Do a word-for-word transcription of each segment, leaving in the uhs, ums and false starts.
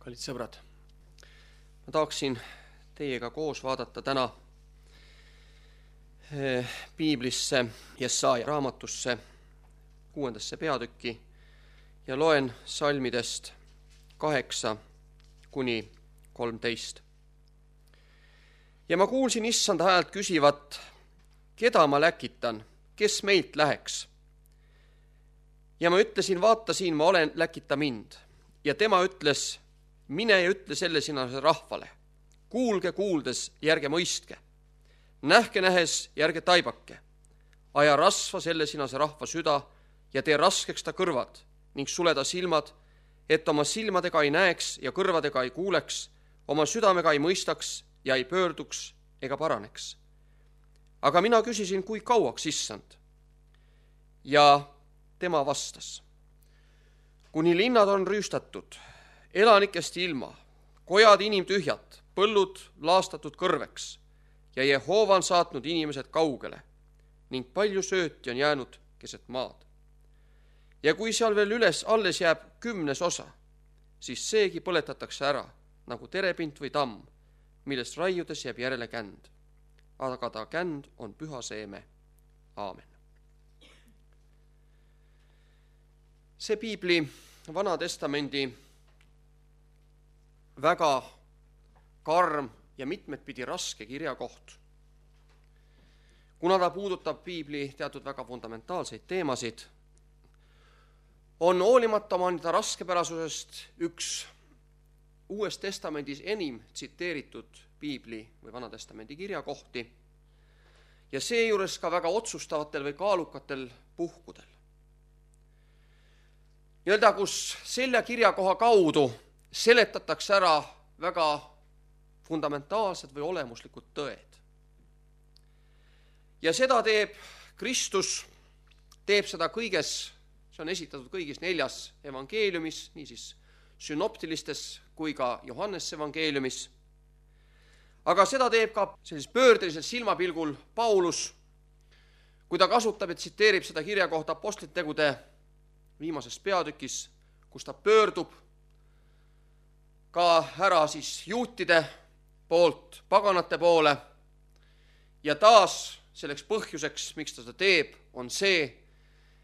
Kallid sõbrad, ma tahaksin teiega koos vaadata täna piiblisse, Jesaja raamatusse, kuuendasse peatükki ja loen salmidest kaheksa kuni kolmteist. Ja ma kuulsin issanda häält küsivat, keda ma läkitan, kes meilt läheks? Ja ma ütlesin, vaata siin ma olen, läkita mind. Ja tema ütles, mine ja ütle selle sina rahvale. Kuulge kuuldes, järge mõistke. Nähke nähes, järge taibake. Aja rasva selle sinase rahva süda ja tee raskeks ta kõrvad ning suleda silmad, et oma silmadega ei näeks ja kõrvadega ei kuuleks, oma südamega ei mõistaks ja ei pöörduks ega paraneks. Aga mina küsisin, kui kauaks issand? Ja tema vastas, kuni linnad on rüüstatud, elanikest ilma, kojad inimtühjad, põllud laastatud kõrveks ja Jehova on saatnud inimesed kaugele ning palju sööti on jäänud keset maad. Ja kui seal veel üles alles jääb kümnes osa, siis seegi põletatakse ära nagu terepint või tamm, millest raiudes jääb järele känd. Aga ta känd on püha seeme. Aamen. See piibli Vana Testamendi väga karm ja mitmetpidi raske kirjakoht, kuna ta puudutab piibli teatud väga fundamentaalseid teemasid, on hoolimata oma nende raskepärasusest üks Uues Testamendis enim tsiteeritud piibli või Vana Testamendi kirjakohti ja seejuures ka väga otsustavatel või kaalukatel puhkudel. Nii-öelda, kus selle kirjakoha kaudu seletatakse ära väga fundamentaalsed või olemuslikud tõed. Ja seda teeb Kristus, teeb seda kõiges, see on esitatud kõigis neljas evangeeliumis, niisiis synoptilistes kui ka Johannese evangeeliumis. Aga seda teeb ka sellis pöördelisel silmapilgul Paulus, kui ta kasutab ja tsiteerib seda kirjakohta apostlitegude viimases peatükis, kus ta pöördub ka ära siis juutide poolt paganate poole ja taas selleks põhjuseks, miks ta seda teeb, on see,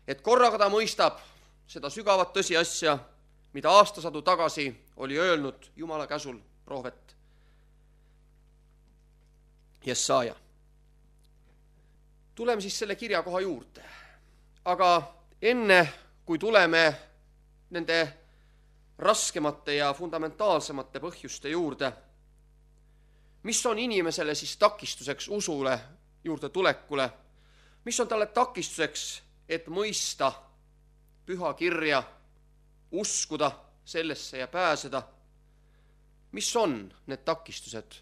et korraga ta mõistab seda sügavat tõsiasja, mida aastasadu tagasi oli öelnud Jumala käsul prohvet Jesaja. Tuleme siis selle kirjakoha juurde. Aga enne, kui tuleme nende raskemate ja fundamentaalsemate põhjuste juurde, mis on inimesele siis takistuseks usule juurde tulekule, mis on talle takistuseks, et mõista püha kirja, uskuda sellesse ja pääseda, mis on need takistused?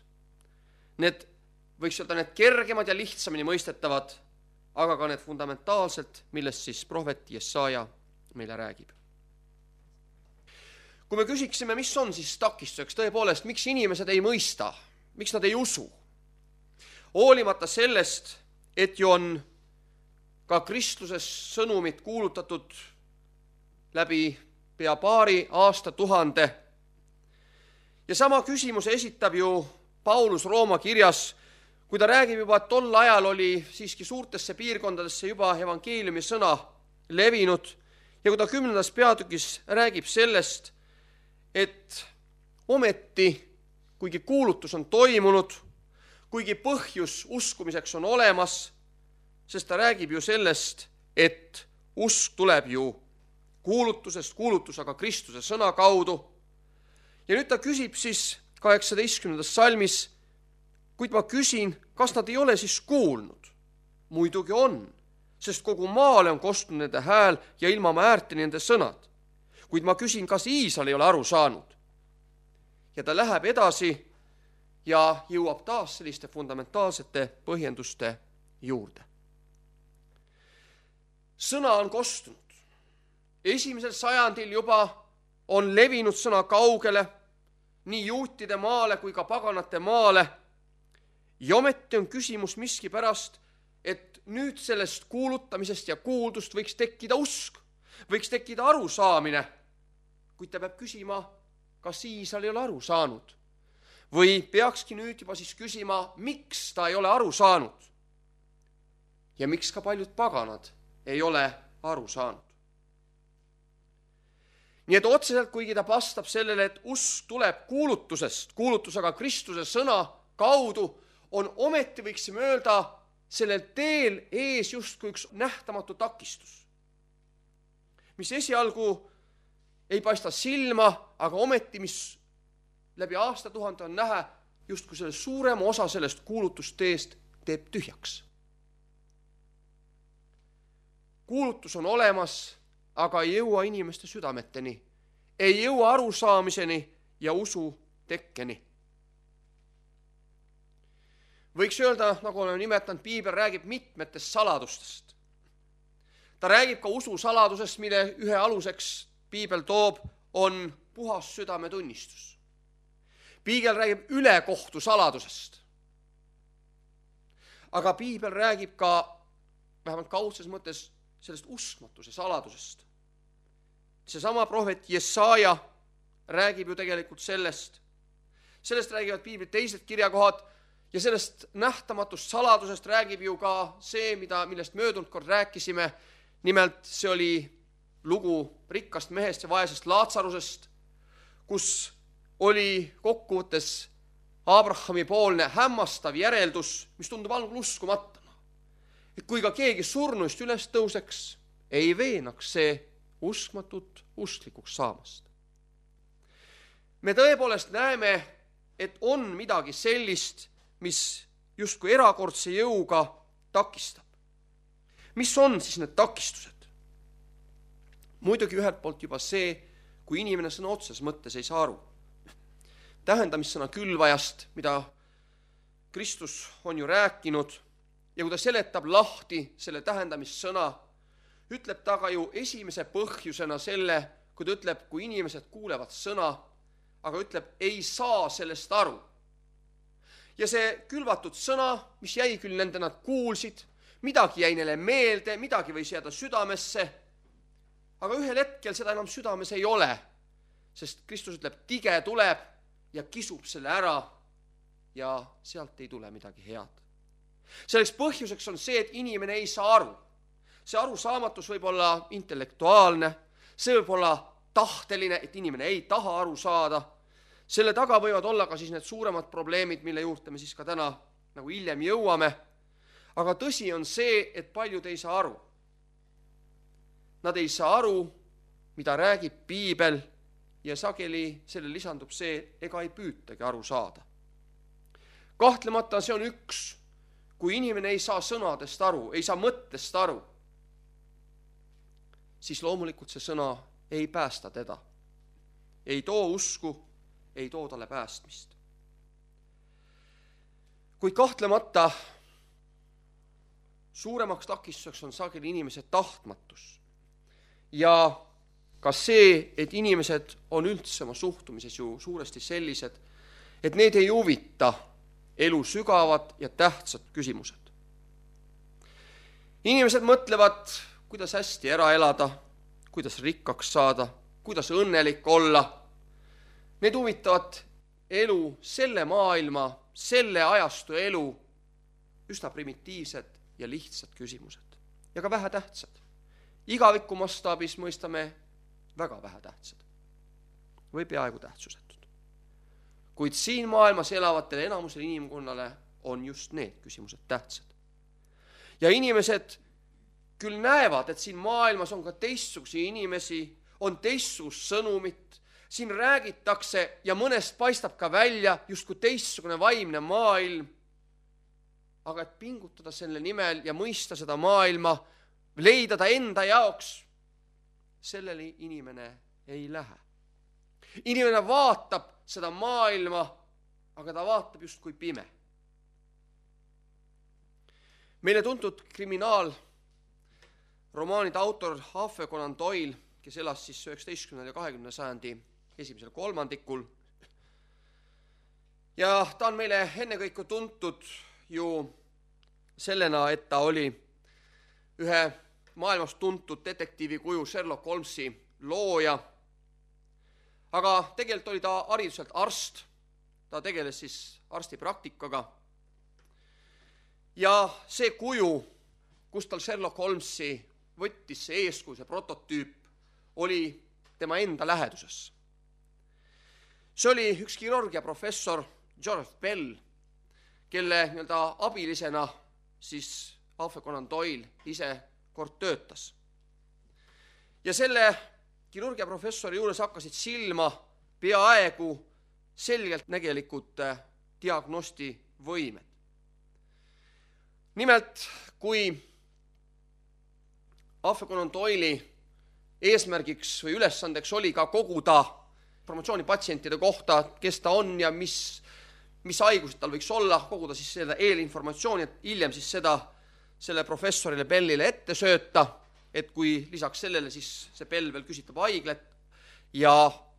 Need võiks öelda need kergemad ja lihtsamini mõistetavad, aga ka need fundamentaalselt, millest siis prohvet Jesaja meile räägib. Kui me küsiksime, mis on siis takistuseks tõepoolest, miks inimesed ei mõista, miks nad ei usu, hoolimata sellest, et ju on ka kristluses sõnumit kuulutatud läbi pea paari aasta tuhande. Ja sama küsimuse esitab ju Paulus Rooma kirjas, kui ta räägib juba, et tol ajal oli siiski suurtesse piirkondadesse juba evangeeliumi sõna levinud ja kui ta kümnendas peatükis räägib sellest, et ometi, kuigi kuulutus on toimunud, kuigi põhjus uskumiseks on olemas, sest ta räägib ju sellest, et usk tuleb ju kuulutusest, kuulutus aga Kristuse sõna kaudu. Ja nüüd ta küsib siis kaheksateistkümnendas salmis, kuid ma küsin, kas nad ei ole siis kuulnud? Muidugi on, sest kogu maale on kostnud nende hääl ja ilma ma äärteni nende sõnad. Kuid ma küsin, kas Iisrael ei ole aru saanud? Ja ta läheb edasi ja jõuab taas selliste fundamentaalsete põhjenduste juurde. Sõna on kostunud. Esimesel sajandil juba on levinud sõna kaugele, nii juutide maale kui ka paganate maale. Ja ometi on küsimus miski pärast, et nüüd sellest kuulutamisest ja kuuldust võiks tekkida usk, võiks tekkida arusaamine, kuid ta peab küsima, kas Iisrael ei ole aru saanud? Või peakski nüüd juba siis küsima, miks ta ei ole aru saanud? Ja miks ka paljud paganad ei ole aru saanud? Nii et otseselt, kuigi ta vastab sellele, et usk tuleb kuulutusest, kuulutusega Kristuse sõna kaudu, on ometi, võiksime öelda, sellel teel ees justkui üks nähtamatu takistus, mis esialgu ei paista silma, aga ometi, mis läbi aastatuhande on näha, justkui selle suurema osa sellest kuulutusteest teeb tühjaks. Kuulutus on olemas, aga ei jõua inimeste südameteni, ei jõua arusaamiseni ja usu tekkeni. Võiks öelda, nagu oleme nimetanud, Piibel räägib mitmetest saladustest. Ta räägib ka usu saladusest, mille ühe aluseks Piibel toob, on puhas südametunnistus. Piibel räägib ülekohtu saladusest. Aga Piibel räägib ka, vähemalt kaudses mõttes, sellest uskmatuse saladusest. Seesama prohvet Jesaja räägib ju tegelikult sellest. Sellest räägivad Piibli teised kirjakohad ja sellest nähtamatust saladusest räägib ju ka see, mida, millest möödunud kord rääkisime. Nimelt see oli lugu rikkast mehest ja vaesest Laatsarusest, kus oli kokkuvõttes Abrahami poolne hämmastav järeldus, mis tundub algul uskumata. Et kui ka keegi surnuist üles tõuseks, ei veenaks see uskmatut usklikuks saamast. Me tõepoolest näeme, et on midagi sellist, mis justkui erakordse jõuga takistab. Mis on siis need takistused? Muidugi ühelt poolt juba see, kui inimene sõna otses mõttes ei saa aru. Tähendamissõna külvajast, mida Kristus on ju rääkinud, ja kui ta seletab lahti selle tähendamissõna, ütleb ta ka ju esimese põhjusena selle, kui ta ütleb, kui inimesed kuulevad sõna, aga ütleb, ei saa sellest aru. Ja see külvatud sõna, mis jäi küll nende, nad kuulsid, midagi jäi neile meelde, midagi võis jääda südamesse, aga ühel hetkel seda enam südames ei ole, sest Kristus ütleb, tige tuleb ja kisub selle ära ja sealt ei tule midagi head. Selleks põhjuseks on see, et inimene ei saa aru. See arusaamatus võib olla intellektuaalne, see võib olla tahteline, et inimene ei taha aru saada. Selle taga võivad olla ka siis need suuremad probleemid, mille juurde me siis ka täna nagu hiljem jõuame. Aga tõsi on see, et paljud ei saa aru. Nad ei saa aru, mida räägib Piibel ja sageli selle lisandub see, ega ei püütagi aru saada. Kahtlemata see on üks, kui inimene ei saa sõnadest aru, ei saa mõttest aru, siis loomulikult see sõna ei päästa teda. Ei too usku, ei too talle päästmist. Kuid kahtlemata suuremaks takistuseks on sageli inimese tahtmatus. Ja ka see, et inimesed on üldse oma suhtumises ju suuresti sellised, et need ei huvita elu sügavad ja tähtsad küsimused. Inimesed mõtlevad, kuidas hästi ära elada, kuidas rikkaks saada, kuidas õnnelik olla. Need huvitavad elu, selle maailma, selle ajastu elu, üsna primitiivsed ja lihtsad küsimused. Ja ka vähe tähtsad. Igaviku mastaabis mõistame väga vähe tähtsad. Või peaaegu tähtsusetud. Kuid siin maailmas elavatele enamusele inimkonnale on just need küsimused tähtsad. Ja inimesed küll näevad, et siin maailmas on ka teistsugusi inimesi, on teistsugust sõnumit, siin räägitakse ja mõnest paistab ka välja justkui teistsugune vaimne maailm, aga et pingutada selle nimel ja mõista seda maailma, leida ta enda jaoks, sellele inimene ei lähe. Inimene vaatab seda maailma, aga ta vaatab just kui pime. Meile tuntud kriminaal romaanide autor Arthur Conan Doyle, kes elas siis üheksateistkümnenda ja kahekümnenda sajandi esimesel kolmandikul. Ja ta on meile ennekõike tuntud ju sellena, et ta oli ühe maailmas tuntud detektiivi kuju Sherlock Holmesi looja. aga tegelikult oli ta hariduselt arst, ta tegeles siis arstipraktikaga. Ja see kuju, kus tal Sherlock Holmesi võttis see eeskuju, see prototüüp, oli tema enda läheduses. See oli üks kirurgia professor George Bell, kelle nii-öelda abilisena siis Arthur Conan Doyle ise kord töötas. Ja selle kirurgia professori juures hakkasid silma peaaegu selgelt nägelikud diagnosti võimed. Nimelt, kui Arthur Conan Doyle'i eesmärgiks või ülesandeks oli ka koguda informatsiooni patsientide kohta, kes ta on ja mis, mis haigused tal võiks olla, koguda siis seda eelinformatsiooni, et hiljem siis seda selle professorile Bellile ette sööta, et kui lisaks sellele siis see Bell veel küsitleb haiglet ja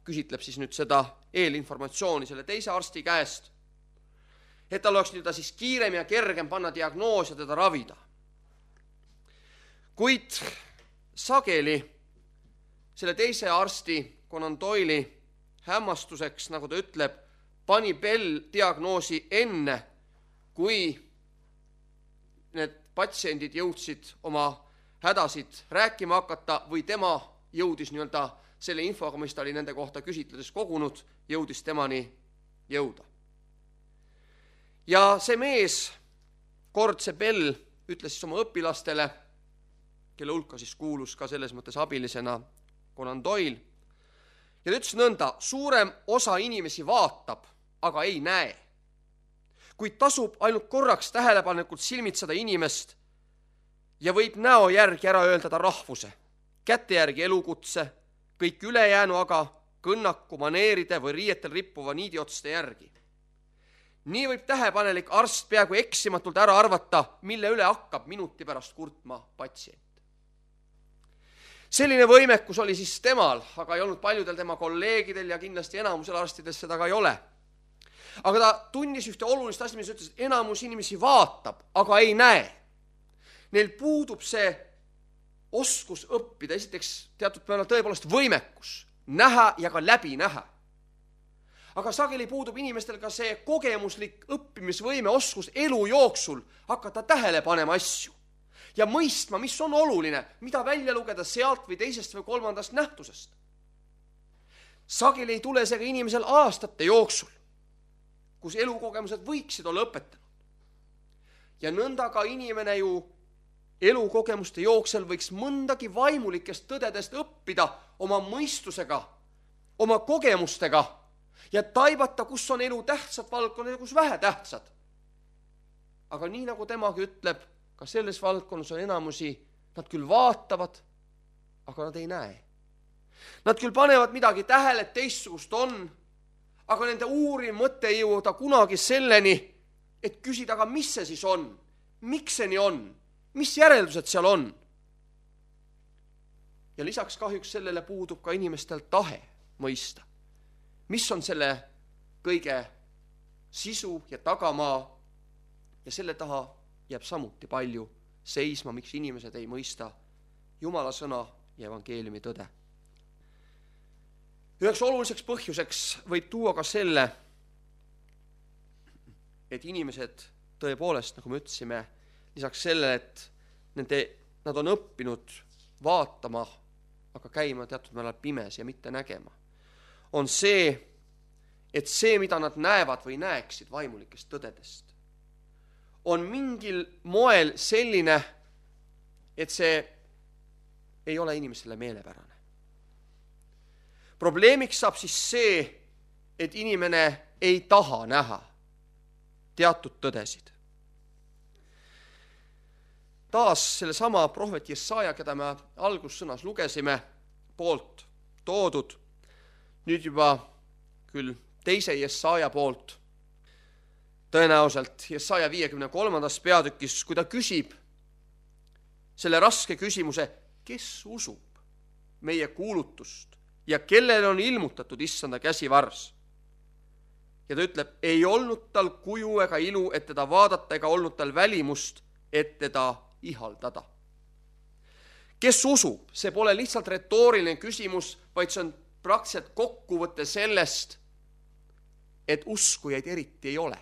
küsitleb siis nüüd seda eelinformatsiooni selle teise arsti käest, et tal oleks nüüd siis kiirem ja kergem panna diagnoos ja teda ravida. Kuid sageli selle teise arsti Conan Doyle'i hämmastuseks, nagu ta ütleb, pani Bell diagnoosi enne, kui need patsiendid jõudsid oma hädasid rääkima hakata või tema jõudis nii-öelda selle infoga, mis ta oli nende kohta küsitledes kogunud, jõudis temani jõuda. Ja see mees, kord see Bell, ütles siis oma õpilastele, kelle hulka siis kuulus ka selles mõttes abilisena Conan Doyle, ja ta ütles nõnda, suurem osa inimesi vaatab, aga ei näe. Kuid tasub ainult korraks tähelepanelikult silmitseda inimest ja võib näo järgi ära öelda ta rahvuse, käte järgi elukutse, kõik ülejäänu aga kõnnaku, maneeride või riietel rippuva niidiotste järgi. Nii võib tähepanelik arst peaaegu eksimatult ära arvata, mille üle hakkab minuti pärast kurtma patsient. Selline võimekus oli siis temal, aga ei olnud paljudel tema kolleegidel ja kindlasti enamusel arstides seda ka ei ole. Aga ta tunnis ühte olulist asja, mis ütles, et enamus inimesi vaatab, aga ei näe. Neil puudub see oskus õppida, esiteks teatud peale tõepoolest võimekus, näha ja ka läbi näha. Aga sageli puudub inimestel ka see kogemuslik õppimisvõime oskus elu jooksul hakata tähele panema asju ja mõistma, mis on oluline, mida välja lugeda sealt või teisest või kolmandast nähtusest. Sageli ei tule see ka inimesel aastate jooksul, kus elukogemused võiksid olla õpetanud. Ja nõnda ka inimene ju elukogemuste jooksel võiks mõndagi vaimulikest tõdedest õppida oma mõistusega, oma kogemustega ja taibata, kus on elu tähtsad valdkonnad ja kus vähe tähtsad. Aga nii nagu temagi ütleb, ka selles valdkonnas on enamusi, nad küll vaatavad, aga nad ei näe. Nad küll panevad midagi tähele, et teistsugust on, aga nende uurim mõte ei jõuda kunagi selleni, et küsida, aga mis see siis on, miks see nii on, mis järeldused seal on. Ja lisaks kahjuks sellele puudub ka inimestel tahe mõista, mis on selle kõige sisu ja tagamaa ja selle taha jääb samuti palju seisma, miks inimesed ei mõista Jumala sõna ja evangeeliumi tõde. Üheks oluliseks põhjuseks võib tuua ka selle, et inimesed tõepoolest, nagu me ütlesime, lisaks sellele, et nende, nad on õppinud vaatama, aga käima teatud määral pimes ja mitte nägema, on see, et see, mida nad näevad või näeksid vaimulikest tõdedest, on mingil moel selline, et see ei ole inimesele meelepärane. Probleemiks saab siis see, et inimene ei taha näha teatud tõdesid. Taas selle sama prohvet Jesaja, keda me algussõnas lugesime, poolt toodud, nüüd juba küll teise Jesaja poolt, tõenäoliselt Jesaja viiekümne kolmandas peatükis, kui ta küsib selle raske küsimuse, kes usub meie kuulutust ja kellele on ilmutatud issanda käsivars. Ja ta ütleb, ei olnud tal kuju ega ilu, et teda vaadata, ega olnud tal välimust, et teda ihaldada. Kes usub? See pole lihtsalt retooriline küsimus, vaid see on praktiliselt kokkuvõte sellest, et uskujaid eriti ei ole.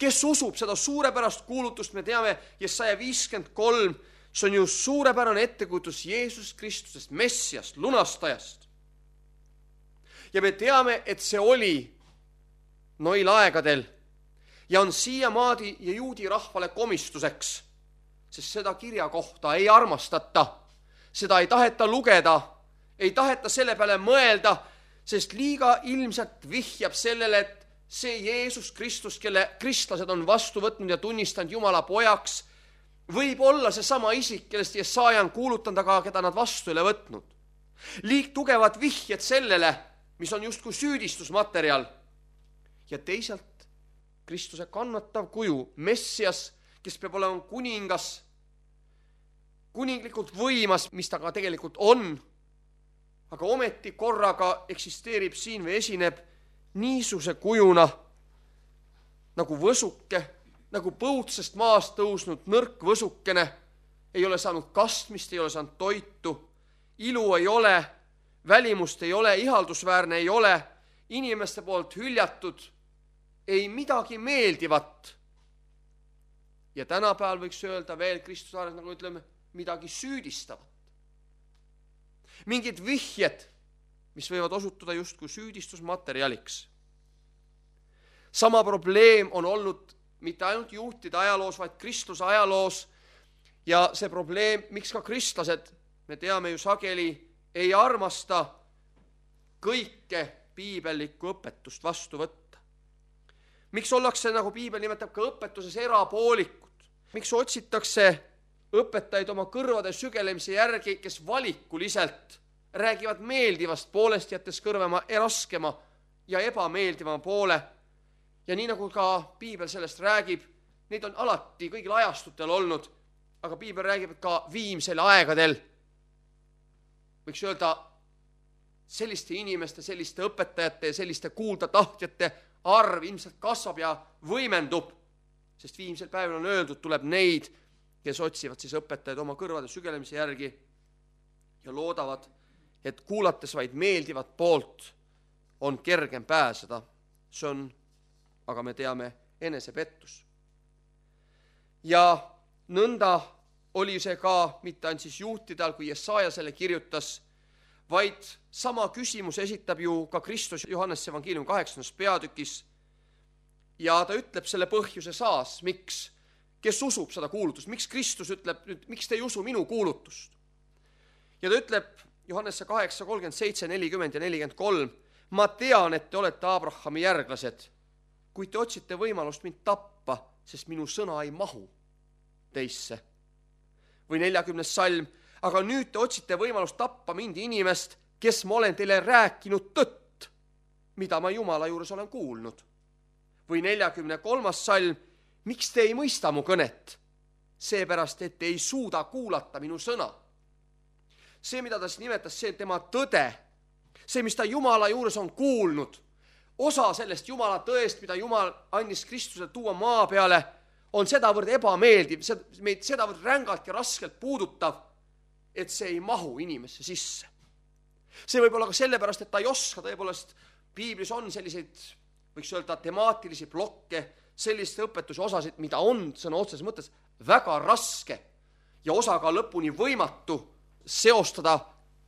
Kes usub seda suurepärast kuulutust, me teame, Jesaja viiskümmend kolm, see on ju suurepärane ettekujutus Jeesus Kristusest, Messiast, lunastajast. Ja me teame, et see oli noil aegadel ja on siiamaadi ja juudi rahvale komistuseks, sest seda kirja kohta ei armastata, seda ei taheta lugeda, ei taheta selle peale mõelda, sest liiga ilmselt vihjab sellele, et see Jeesus Kristus, kelle kristlased on vastu võtnud ja tunnistanud Jumala pojaks, võib olla see sama isik, kellest Jesaja on kuulutanud, aga keda nad vastu ei ole võtnud. Liig tugevad vihjed sellele, mis on justkui süüdistusmaterjal. Ja teisalt Kristuse kannatav kuju, Messias, kes peab olema kuningas, kuninglikult võimas, mis ta ka tegelikult on, aga ometi korraga eksisteerib siin või esineb niisuguse kujuna nagu võsuke, nagu põutsest maast tõusnud nõrk võsukene, ei ole saanud kastmist, ei ole saanud toitu, ilu ei ole, välimust ei ole, ihaldusväärne ei ole, inimeste poolt hüljatud, ei midagi meeldivat. Ja tänapäeval võiks öelda veel Kristuse ares, nagu ütleme, midagi süüdistavat. Mingid vihjed, mis võivad osutuda justkui süüdistusmaterjaliks. Sama probleem on olnud mitte ainult juhtide ajaloos, vaid kristluse ajaloos. Ja see probleem, miks ka kristlased, me teame ju sageli, ei armasta kõike piibellikku õpetust vastu võtta. Miks ollakse, nagu piibel nimetab, ka õpetuses erapoolikud? Miks otsitakse õpetajaid oma kõrvade sügelemise järgi, kes valikuliselt räägivad meeldivast poolest, jättes kõrvema raskema ja ebameeldivama poole? Ja nii nagu ka piibel sellest räägib, neid on alati kõigil ajastutel olnud, aga piibel räägib ka viimsel aegadel. Võiks öelda, selliste inimeste, selliste õpetajate ja selliste kuuldatahtjate arv ilmselt kasvab ja võimendub, sest viimsel päeval on öeldud, tuleb neid, kes otsivad siis õpetajaid oma kõrvade sügelemise järgi ja loodavad, et kuulates vaid meeldivat poolt on kergem pääseda. See on, aga me teame, enesepettus. Ja nõnda oli see ka mitte ainult siis juhtidel, kui Jesaja selle kirjutas, vaid sama küsimus esitab ju ka Kristus Johannese evangeeliumi kaheksandas peatükis ja ta ütleb selle põhjuse saas, miks, kes usub seda kuulutust, miks Kristus ütleb, miks te ei usu minu kuulutust. Ja ta ütleb Johannese kaheksa, kolmkümmend seitse, nelikümmend ja nelikümmend kolm, ma tean, et te olete Abrahami järglased, kuid te otsite võimalust mind tappa, sest minu sõna ei mahu teisse. Või neljakümnes salm, aga nüüd te otsite võimalust tappa mind inimest, kes ma olen teile rääkinud tõtt, mida ma Jumala juures olen kuulnud. Või neljakümne kolmas salm, miks te ei mõista mu kõnet? Seepärast, et te ei suuda kuulata minu sõna. See, mida ta siis nimetas, see tema tõde, see, mis ta Jumala juures on kuulnud, osa sellest Jumala tõest, mida Jumal andis Kristuse tuua maa peale, on sedavõrd ebameeldiv, meid sedavõrd rängalt ja raskelt puudutav, et see ei mahu inimesse sisse. See võib olla ka sellepärast, et ta ei oska, tõepoolest piiblis on selliseid, võiks öelda, temaatilisi blokke, selliste õpetuse osasid, mida on sõna otseses mõttes väga raske ja osaga lõpuni võimatu seostada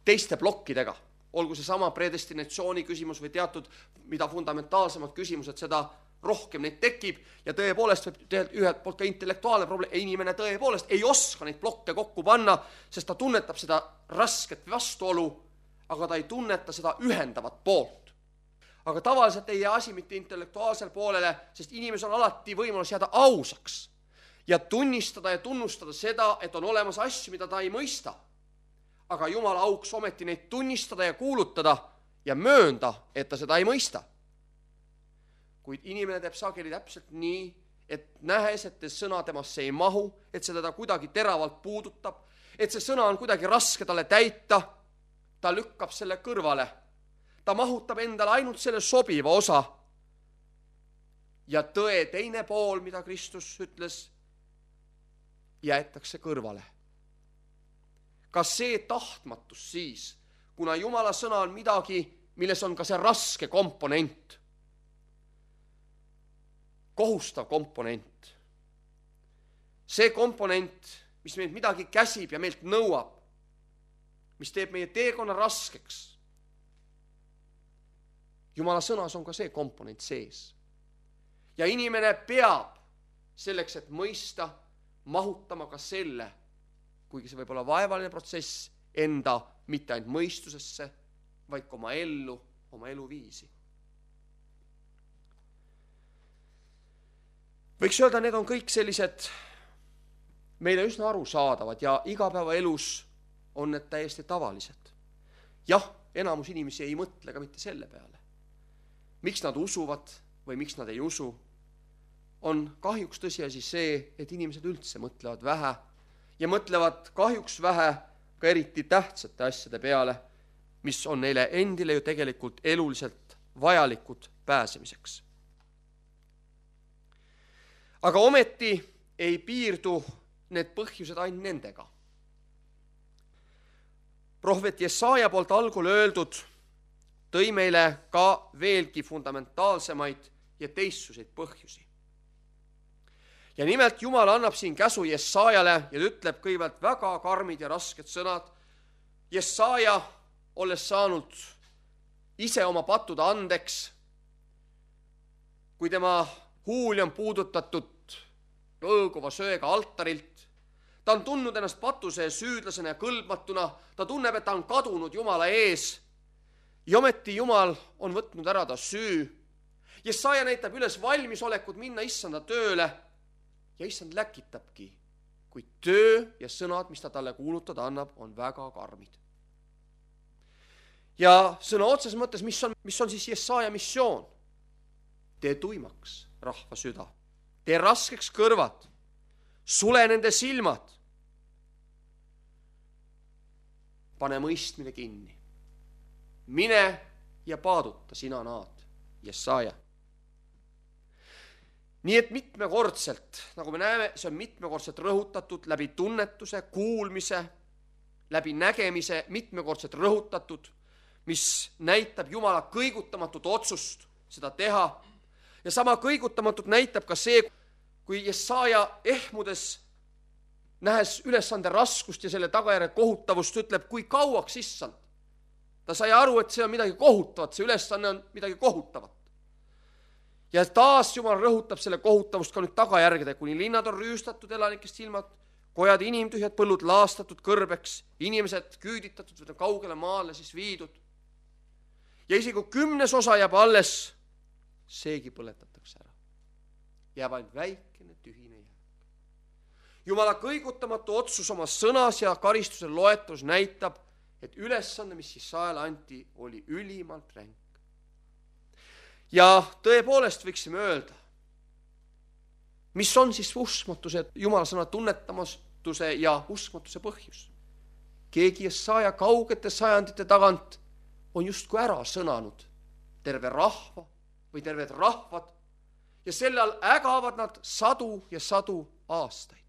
teiste blokkidega. Olgu see sama predestinatsiooni küsimus või teatud, mida fundamentaalsemad küsimused, seda rohkem neid tekib ja tõepoolest võib ühelt poolt ka intellektuaalne probleem, inimene tõepoolest ei oska neid blokke kokku panna, sest ta tunnetab seda rasket vastuolu, aga ta ei tunneta seda ühendavat poolt. Aga tavaliselt ei jää asi mitte intellektuaalsel poolele, sest inimesel on alati võimalus jääda ausaks ja tunnistada ja tunnustada seda, et on olemas asju, mida ta ei mõista. Aga Jumala auks ometi neid tunnistada ja kuulutada ja möönda, et ta seda ei mõista. Kuid inimene teeb sageli täpselt nii, et nähes, et sõna temasse ei mahu, et see teda kuidagi teravalt puudutab, et see sõna on kuidagi raske talle täita, ta lükkab selle kõrvale. Ta mahutab endale ainult selle sobiva osa. Ja tõe teine pool, mida Kristus ütles, jäetakse kõrvale. Kas see tahtmatus siis, kuna Jumala sõna on midagi, milles on ka see raske komponent, kohustav komponent. See komponent, mis meilt midagi käsib ja meilt nõuab, mis teeb meie teekonna raskeks. Jumala sõnas on ka see komponent sees. Ja inimene peab selleks, et mõista, mahutama ka selle, kuigi see võib olla vaevaline protsess, enda mitte ainult mõistusesse, vaid ka oma ellu, oma eluviisi. Võiks öelda, need on kõik sellised meile üsna arusaadavad ja igapäevaelus on need täiesti tavalised. Jah, enamus inimesi ei mõtle ka mitte selle peale. Miks nad usuvad või miks nad ei usu, on kahjuks tõsiasi see, et inimesed üldse mõtlevad vähe ja mõtlevad kahjuks vähe ka eriti tähtsate asjade peale, mis on neile endile ju tegelikult eluliselt vajalikud pääsemiseks. Aga ometi ei piirdu need põhjused ainult nendega. Prohvet Jesaja poolt algul öeldud tõi meile ka veelgi fundamentaalsemaid ja teistsuseid põhjusi. Ja nimelt Jumal annab siin käsu Jesajale ja ütleb kõigepealt väga karmid ja rasked sõnad. Jesaja, olles saanud ise oma patud andeks, kui tema huuli on puudutatud õõguva söega altarilt, ta on tundnud ennast patuse süüdlasena ja kõlbmatuna, ta tunneb, et ta on kadunud Jumala ees ja ometi Jumal on võtnud ära ta süü. Jesaja näitab üles valmisolekut minna issanda tööle ja issand läkitabki, kui töö ja sõnad, mis ta talle kuulutada annab, on väga karmid. Ja sõna otses mõttes, mis on, mis on siis Jesaja missioon? Tee tuimaks rahva süda, tee raskeks kõrvad, sule nende silmad, pane mõistmine kinni, mine ja paaduta, sina naad, Jesaja. Nii et mitmekordselt, nagu me näeme, see on mitmekordselt rõhutatud läbi tunnetuse, kuulmise, läbi nägemise, mitmekordselt rõhutatud, mis näitab Jumala kõigutamatut otsust seda teha. Ja sama kõigutamatut näitab ka see, kui Jesaja ehmudes, nähes ülesande raskust ja selle tagajärje kohutavust, ütleb, kui kauaks issand. Ta sai aru, et see on midagi kohutavat, see ülesanne on midagi kohutavat. Ja taas Jumal rõhutab selle kohutavust ka nüüd tagajärgede, kuni linnad on rüüstatud elanikest silmad, kojad inimtühjad, põllud laastatud kõrbeks, inimesed küüditatud või kaugele maale siis viidud. Ja isegi kui kümnes osa jääb alles, seegi põletatakse ära. Jääb ainult väikene tühine jääk. Jumala kõigutamatu otsus oma sõnas ja karistuse loetus näitab, et ülesanne, mis Jesajale anti, oli ülimalt ränk. Ja tõepoolest võiksime öelda, mis on siis uskmatuse, Jumala sõna tunnetamatuse ja uskmatuse põhjus. Keegi Jesaja kaugete sajandite tagant on justkui ära sõnanud terve rahva või terved rahvad ja selle all ägavad nad sadu ja sadu aastaid.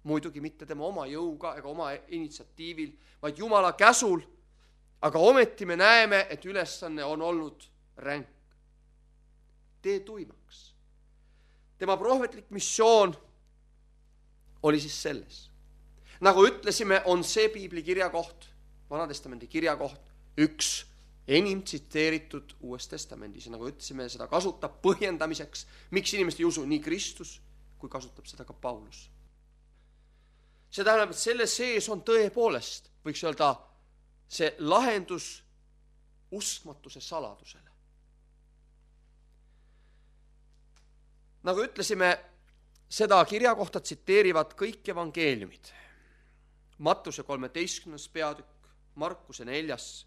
Muidugi mitte tema oma jõuga ega oma initsiatiivil, vaid Jumala käsul, aga ometi me näeme, et ülesanne on olnud ränk. Tee tuimaks. Tema prohvetlik missioon oli siis selles. Nagu ütlesime, on see piibli kirjakoht, Vanatestamendi kirjakoht, üks enim tsiteeritud Uues Testamendis. Ja nagu ütlesime, seda kasutab põhjendamiseks, miks inimesed ei usu nii Kristus, kui kasutab seda ka Paulus. See tähendab, et selle sees on tõepoolest, võiks öelda, see lahendus uskmatuse saladusele. Nagu ütlesime, seda kirjakohta tsiteerivad kõik evangeeliumid. Mattuse kolmeteistkümnes peatükk, Markuse neljas,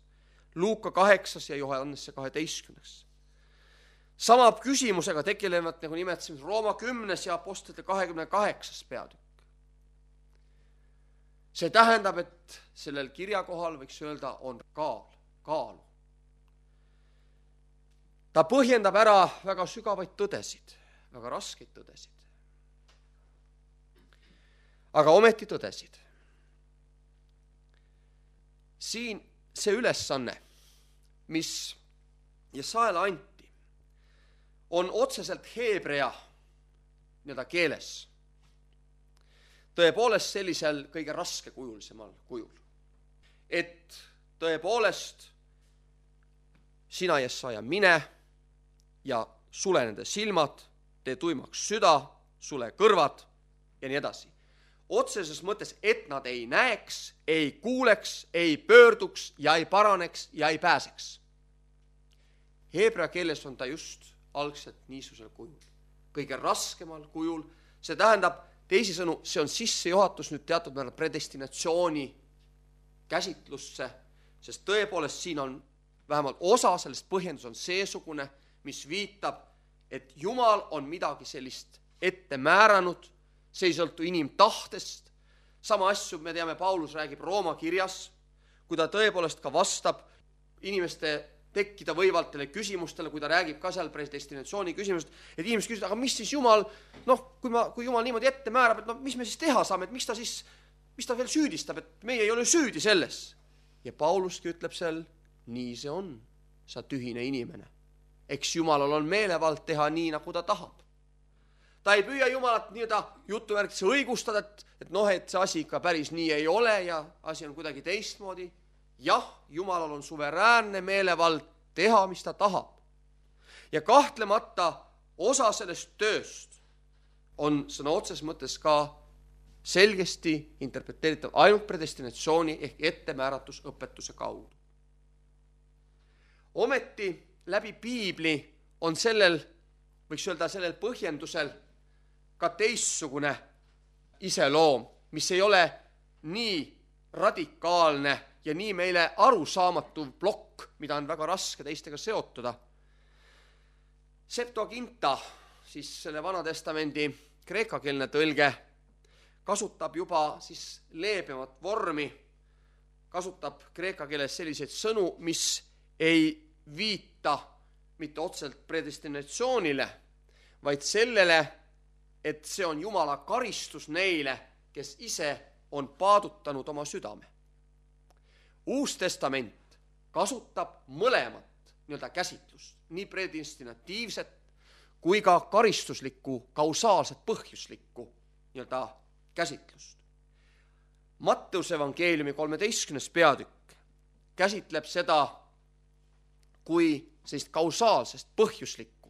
Luuka kaheksas ja Johannese kaheteistkümnes. Sama küsimusega tegelevad, nagu nimetasin, Rooma kümnes ja Apostlite kahekümne kaheksas peatükk. See tähendab, et sellel kirjakohal võiks öelda, on kaal, kaalu. Ta põhjendab ära väga sügavaid tõdesid, väga raskeid tõdesid. Aga ometi tõdesid. Siin see ülesanne, mis Jesaajale anti, on otseselt heebrea nii-öelda keeles. Tõepoolest sellisel kõige raskekujulisemal kujul. Et tõepoolest sina, Jesaja, mine ja sule nende silmad, tee tuimaks süda, sule kõrvad ja nii edasi. Otseses mõttes, et nad ei näeks, ei kuuleks, ei pöörduks ja ei paraneks ja ei pääseks. Heebrea keeles on ta just algselt niisugusel kujul. Kõige raskemal kujul. See tähendab, teisisõnu, see on sissejuhatus nüüd teatud määral predestinatsiooni käsitlusse, sest tõepoolest siin on vähemalt osa sellest põhjendus on seesugune, mis viitab, et Jumal on midagi sellist ette määranud, see ei sõltu inimtahtest. Sama asju me teame, Paulus räägib Rooma kirjas, kui ta tõepoolest ka vastab inimeste tekkida võivaltele küsimustele, kui ta räägib ka seal predestinatsiooni küsimusest, et inimesed küsivad, aga mis siis Jumal, noh, kui, ma, kui Jumal niimoodi ette määrab, et no, mis me siis teha saame, et miks ta siis, mis ta veel süüdistab, et meie ei ole süüdi selles. Ja Pauluski ütleb seal, nii see on, sa tühine inimene. Eks Jumalal on meelevald teha nii, nagu ta tahab. Ta ei püüa Jumalat nii-öelda jutuvärkisse õigustada, et, et noh, et see asi ikka päris nii ei ole ja asi on kuidagi teistmoodi. Jah, Jumalal on suveräänne meelevald teha, mis ta tahab. Ja kahtlemata osa sellest tööst on sõna otses mõttes ka selgesti interpreteeritav ainult predestinatsiooni ehk ettemääratusõpetuse kaudu. Ometi läbi Piibli on sellel, võiks öelda sellel põhjendusel ka teissugune iseloom, mis ei ole nii radikaalne ja nii meile arusaamatu plokk, mida on väga raske teistega seotuda. Septuaginta, siis selle Vanatestamendi kreekakeelne tõlge, kasutab juba siis leebemat vormi, kasutab kreeka keeles selliseid sõnu, mis ei viita mitte otseselt predestinatsioonile, vaid sellele, et see on Jumala karistus neile, kes ise on paadutanud oma südame. Uus testament kasutab mõlemat nii-öelda käsitlust, nii predestinatiivset kui ka karistuslikku, kausaalset, põhjuslikku nii-öelda käsitlust. Matteuse evangeeliumi kolmeteistkümnes peatükk käsitleb seda kui sellist kausaalsest, põhjuslikku,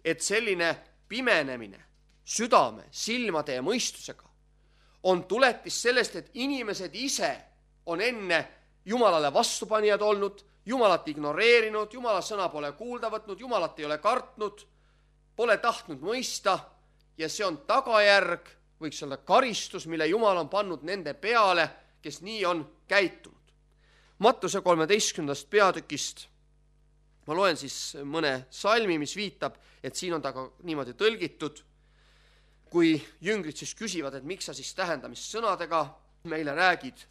et selline pimenemine südame, silmade ja mõistusega on tuletis sellest, et inimesed ise on enne Jumalale vastupanijad olnud, Jumalat ignoreerinud, Jumala sõna pole kuulda võtnud, Jumalat ei ole kartnud, pole tahtnud mõista ja see on tagajärg, võiks olla karistus, mille Jumal on pannud nende peale, kes nii on käitunud. Mattuse kolmeteistkümnendast peatükist ma loen siis mõne salmi, mis viitab, et siin on ta ka niimoodi tõlgitud, kui jüngrid siis küsivad, et miks sa siis tähendamissõnadega meile räägid.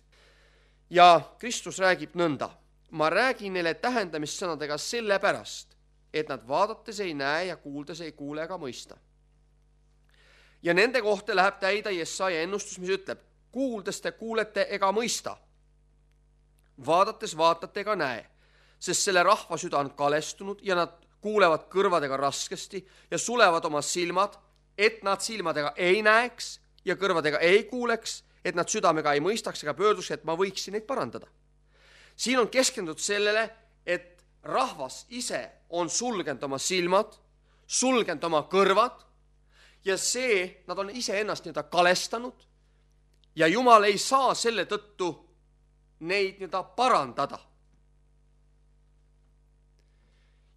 Ja Kristus räägib nõnda, ma räägin neile tähendamissõnadega sellepärast, et nad vaadates ei näe ja kuuldes ei kuule ega mõista. Ja nende kohta läheb täida Jesaja ennustus, mis ütleb, kuuldes te kuulete ega mõista, vaadates vaatate ega näe, sest selle rahva süda on kalestunud ja nad kuulevad kõrvadega raskesti ja sulevad oma silmad, et nad silmadega ei näeks ja kõrvadega ei kuuleks, et nad südamega ei mõistaks ega pöörduks, et ma võiksin neid parandada. Siin on keskendunud sellele, et rahvas ise on sulgenud oma silmad, sulgenud oma kõrvad ja see, nad on ise ennast nii-öelda kalestanud ja Jumal ei saa selle tõttu neid nii-öelda parandada.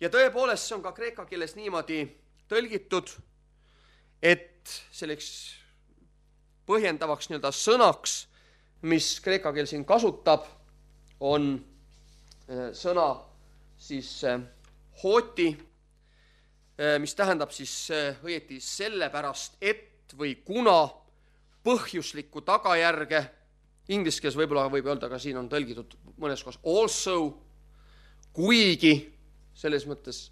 Ja tõepoolest see on ka kreeka keeles niimoodi tõlgitud, et selleks põhjendavaks nii-öelda sõnaks, mis kreeka keel siin kasutab, on sõna siis hooti, mis tähendab siis õieti sellepärast, et või kuna põhjuslikku tagajärge, inglise keeles võib-olla võib öelda ka siin on tõlgitud mõnes kohas also, kuigi selles mõttes,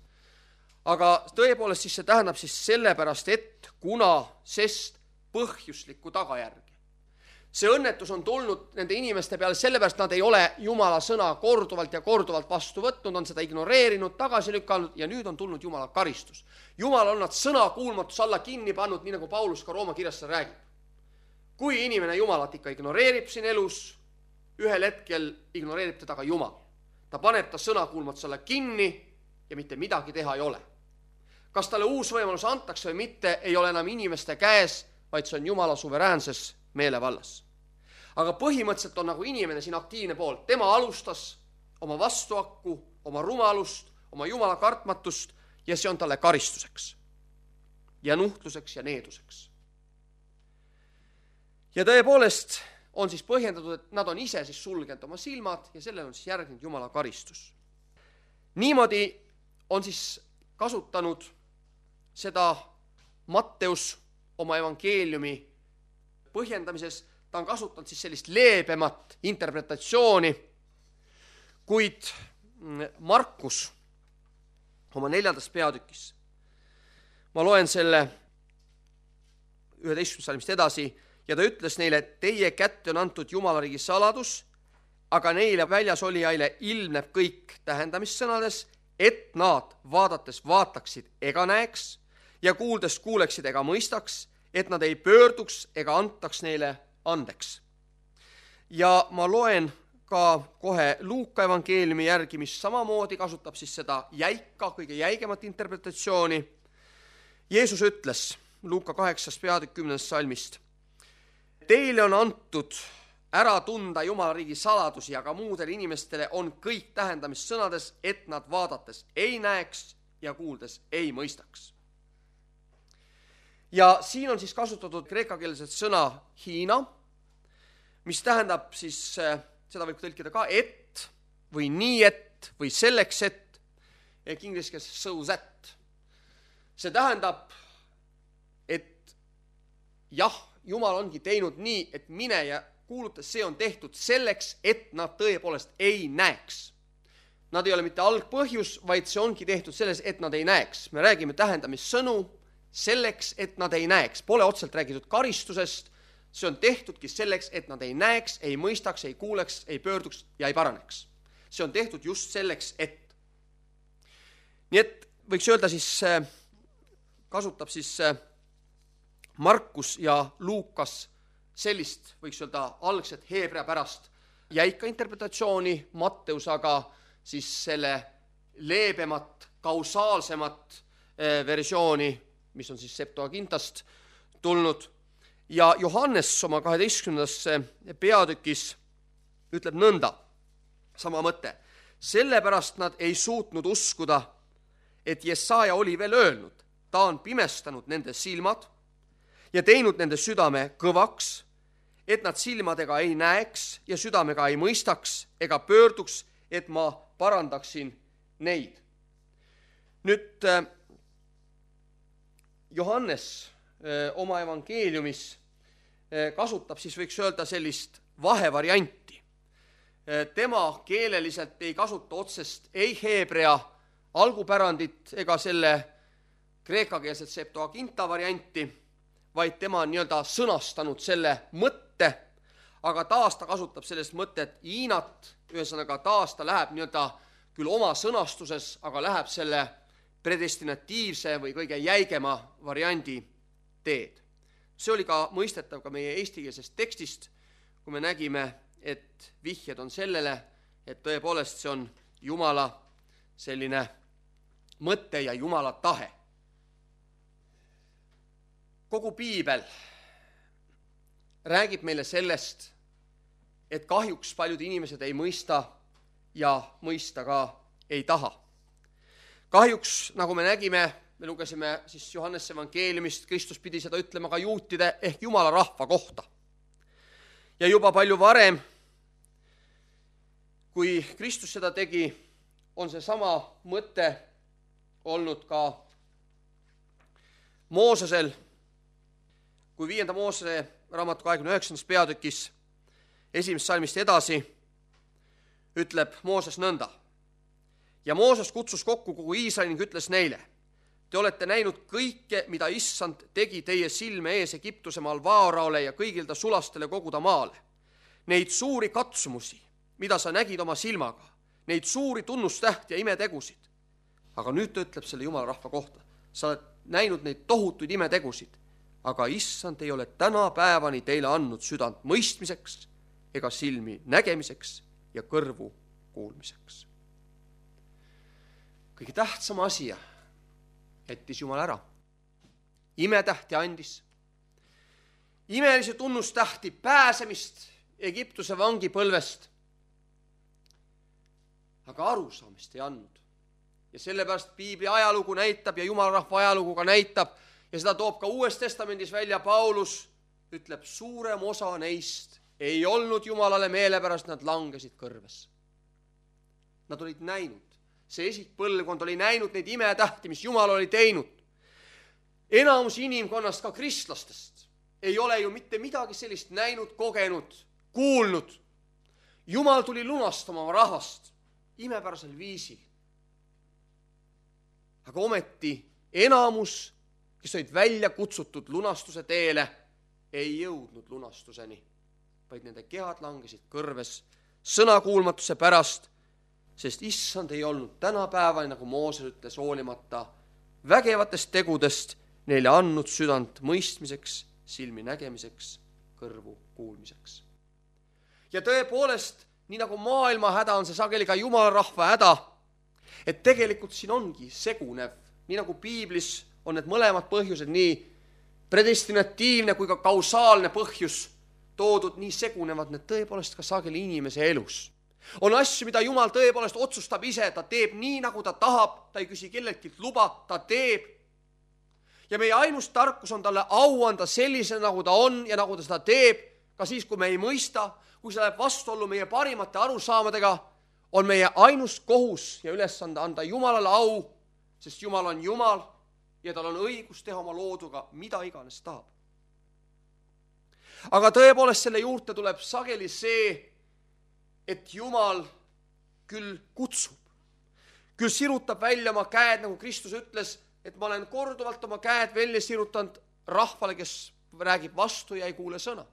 aga tõepoolest siis see tähendab siis sellepärast, et kuna, sest põhjuslikku tagajärge. See õnnetus on tulnud nende inimeste peale sellepärast, nad ei ole Jumala sõna korduvalt ja korduvalt vastu võtnud, on seda ignoreerinud, tagasi lükanud ja nüüd on tulnud Jumala karistus. Jumal on nad sõna kuulmatus alla kinni pannud, nii nagu Paulus ka Rooma kirjas seda räägib. Kui inimene Jumalat ikka ignoreerib siin elus, ühel hetkel ignoreerib teda ka Jumal. Ta paneb ta sõna kuulmatus alla kinni ja mitte midagi teha ei ole. Kas talle uus võimalus antakse või mitte, ei ole enam inimeste käes, vaid see on Jumala suveräänses meelevallas. Aga põhimõtteliselt on nagu inimene siin aktiivne pool. Tema alustas oma vastuakku, oma rumalust, oma Jumala kartmatust ja see on talle karistuseks ja nuhtluseks ja needuseks. Ja tõepoolest on siis põhjendatud, et nad on ise siis sulgenud oma silmad ja sellele on siis järgnenud Jumala karistus. Niimoodi on siis kasutanud seda Matteus oma evangeeliumi põhjendamises, ta on kasutanud siis sellist leebemat interpretatsiooni, kuid Markus oma neljandas peatükis, ma loen selle üheteistkümnendast salmist edasi, ja ta ütles neile, et teie kätte on antud Jumalariigi saladus, aga neile väljas olijaile ilmneb kõik tähendamissõnades, et nad vaadates vaataksid ega näeks ja kuuldes kuuleksid ega mõistaks, et nad ei pöörduks ega antaks neile andeks. Ja ma loen ka kohe Luuka evangeeliumi järgi, mis samamoodi kasutab siis seda jäika, kõige jäigemat interpretatsiooni. Jeesus ütles Luuka kaheksas peatükk kümnendast salmist, teile on antud ära tunda Jumala riigi saladusi, aga muudele inimestele on kõik tähendamissõnades, et nad vaadates ei näeks ja kuuldes ei mõistaks. Ja siin on siis kasutatud kreekakeelset sõna Hiina, mis tähendab siis, seda võib tõlkida ka et või nii et või selleks et, ehk inglise keeles so that. See tähendab, et jah, Jumal ongi teinud nii, et mine ja kuulutas, see on tehtud selleks, et nad tõepoolest ei näeks. Nad ei ole mitte algpõhjus, vaid see ongi tehtud selles, et nad ei näeks. Me räägime tähendamissõnu selleks, et nad ei näeks. Pole otseselt räägitud karistusest, see on tehtudki selleks, et nad ei näeks, ei mõistaks, ei kuuleks, ei pöörduks ja ei paraneks. See on tehtud just selleks, et. Nii et võiks öelda siis, kasutab siis Markus ja Luukas sellist, võiks öelda, algset heebrea pärast jäika interpretatsiooni, Matteus aga siis selle leebemat, kausaalsemat versiooni, mis on siis Septuagintast tulnud. Ja Johannes oma kaheteistkümnendasse peatükis ütleb nõnda, sama mõte. Sellepärast nad ei suutnud uskuda, et Jesaja oli veel öelnud, ta on pimestanud nende silmad ja teinud nende südame kõvaks, et nad silmadega ei näeks ja südamega ei mõistaks ega pöörduks, et ma parandaksin neid. Nüüd Johannes oma evangeeliumis kasutab siis võiks öelda sellist vahevarianti. Tema keeleliselt ei kasuta otsest ei heebrea algupärandit ega selle kreekakeelset Septuaginta varianti, vaid tema on nii-öelda sõnastanud selle mõtte, aga taas ta kasutab sellest mõtet Hiinat, ühesõnaga taas ta läheb nii-öelda küll oma sõnastuses, aga läheb selle predestinatiivse või kõige jäigema variandi teed. See oli ka mõistetav ka meie eestikeelsest tekstist, kui me nägime, et vihjed on sellele, et tõepoolest see on Jumala selline mõte ja Jumala tahe. Kogu piibel räägib meile sellest, et kahjuks paljud inimesed ei mõista ja mõista ka ei taha. Kahjuks, nagu me nägime, me lugesime siis Johannese evangeeliumist, Kristus pidi seda ütlema ka juutide ehk Jumala rahva kohta. Ja juba palju varem, kui Kristus seda tegi, on see sama mõte olnud ka Moosesel, kui viienda Moosese raamatu kahekümne üheksandas peatükis esimest salmist edasi ütleb Mooses nõnda. Ja Mooses kutsus kokku kogu Iisraeli ning ütles neile, te olete näinud kõike, mida issand tegi teie silme ees Egiptuse maal Vaaraole ja kõigil ta sulastele koguda maale. Neid suuri katsumusi, mida sa nägid oma silmaga, neid suuri tunnustähti ja imetegusid. Aga nüüd ta ütleb selle Jumala rahva kohta. Sa oled näinud neid tohutuid imetegusid, aga issand ei ole täna päevani teile andnud südant mõistmiseks ega silmi nägemiseks ja kõrvu kuulmiseks. Kõige tähtsam asi jättis Jumal ära. Imetähti andis. Imelise tunnustähti pääsemist Egiptuse vangipõlvest. Aga arusaamist ei andnud. Ja sellepärast Piibli ajalugu näitab ja Jumala rahva ajalugu ka näitab ja seda toob ka Uues Testamendis välja Paulus, ütleb, suurem osa neist ei olnud Jumalale meelepärast, nad langesid kõrves. Nad olid näinud. See esikpõlvkond oli näinud neid imetähti, mis Jumal oli teinud. Enamus inimkonnast, ka kristlastest, ei ole ju mitte midagi sellist näinud, kogenud, kuulnud. Jumal tuli lunastama oma rahvast imepärasel viisil. Aga ometi enamus, kes olid välja kutsutud lunastuse teele, ei jõudnud lunastuseni, vaid nende kehad langesid kõrves sõnakuulmatuse pärast, sest issand ei olnud tänapäevani, nagu Mooses ütles, hoolimata vägevatest tegudest neile andnud südant mõistmiseks, silmi nägemiseks, kõrvu kuulmiseks. Ja tõepoolest, nii nagu maailma häda on see sageli ka Jumala rahva häda, et tegelikult siin ongi segunev, nii nagu Piiblis on need mõlemad põhjused, nii predestinatiivne kui ka kausaalne põhjus toodud, nii segunevad need tõepoolest ka sageli inimese elus. On asju, mida Jumal tõepoolest otsustab ise, ta teeb nii, nagu ta tahab, ta ei küsi kelleltki luba, ta teeb. Ja meie ainus tarkus on talle au anda sellise, nagu ta on ja nagu ta seda teeb, ka siis, kui me ei mõista, kui see läheb vastuollu meie parimate arusaamadega, on meie ainus kohus ja ülesande anda Jumalale au, sest Jumal on Jumal ja tal on õigus teha oma looduga, mida iganes tahab. Aga tõepoolest selle juurde tuleb sageli see, et Jumal küll kutsub, küll sirutab välja oma käed, nagu Kristus ütles, et ma olen korduvalt oma käed välja sirutanud rahvale, kes räägib vastu ja ei kuule sõna.